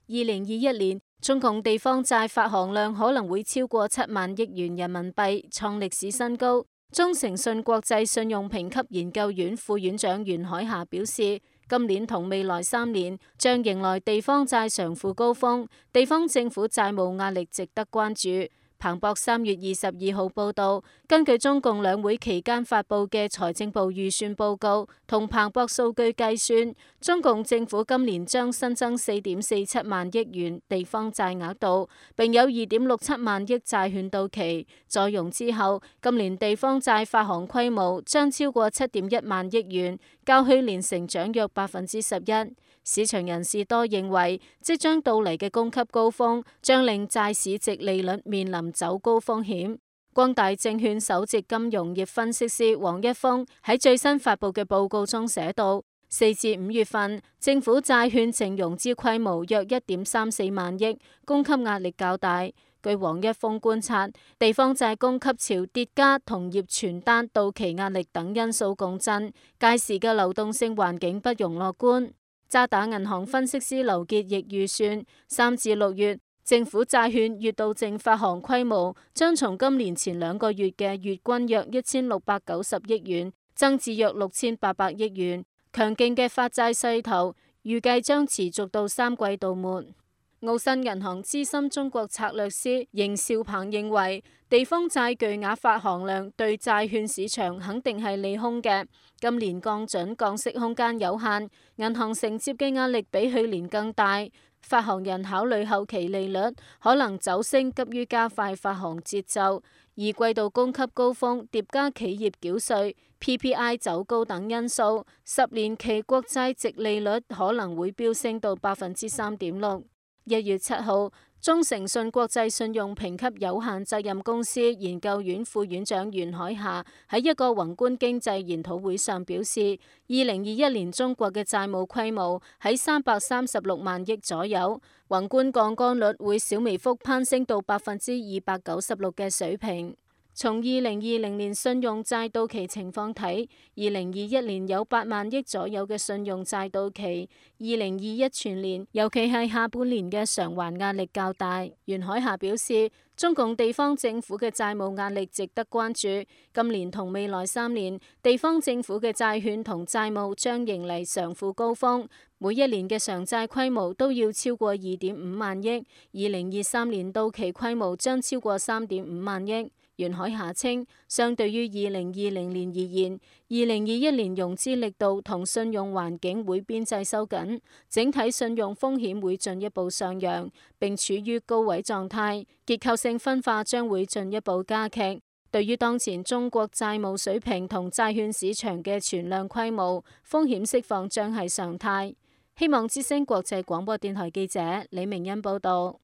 2021年，中共地方債發行量可能會超過7萬億元人民幣，創歷史新高。中誠信國際信用評級研究院副院長袁海霞表示，今年同未來3年將迎來地方債償付高峰，地方政府債務壓力值得關注。彭博3月22號報道，根據中共兩會期間發佈嘅財政部預算報告同彭博數據計算，中共政府今年將新增4.47萬億元地方債額度，並有2.67萬億債券到期。再融之後，今年地方債發行規模將超過7.1萬億元，較去年成長約11%。市場人士多認為，即將到嚟嘅供給高峰將令債市值利率面臨走高風險。光大證券首席金融業分析師黃一峰喺最新發佈嘅報告中寫道，4至5月份政府債券淨融資規模約1.34萬億，供給壓力較大。據黃一峰觀察，地方債供給潮疊加同業存單到期壓力等因素共振，屆時嘅流動性環境不容樂觀。渣打銀行分析師劉傑亦預算，3至6月政府債券月度淨發行規模將從今年前2個月嘅月均約1690億元增至約6800億元，強勁嘅發債勢頭預計將持續到3季度末。澳新銀行資深中國策略師邢兆鵬認為，地方債巨額發行量對債券市場肯定係利空嘅。今年降準降息空間有限，銀行承接嘅壓力比去年更大。發行人考慮後期利率可能走升，急於加快發行節奏。而季度供給高峰疊加企業繳稅、PPI 走高等因素，10年期國債殖利率可能會飆升到3.6%。1月7號，中誠信國際信用評級有限責任公司研究院副院長袁海霞喺一個宏觀經濟研討會上表示，2021年中國嘅債務規模喺336萬億左右，宏觀槓桿率會小微幅攀升到296%嘅水平。從2020年信用債到期情況睇，2021年有8萬億左右嘅信用債到期，2021全年尤其係下半年嘅償還壓力較大。袁海霞表示，中共地方政府嘅債務壓力值得關注，今年同未來3年，地方政府嘅債券同債務將迎嚟償付高峰，每一年嘅償債規模都要超過2.5萬億，2023年到期規模將超過3.5萬億。袁海霞稱，相對於2020年而言，2021年融資力度同信用環境會邊際收緊，整體信用風險會進一步上揚，並處於高位狀態，結構性分化將會進一步加劇。對於當前中國債務水平同債券市場嘅存量規模，風險釋放將係常態。希望之聲國際廣播電台記者李明恩報道。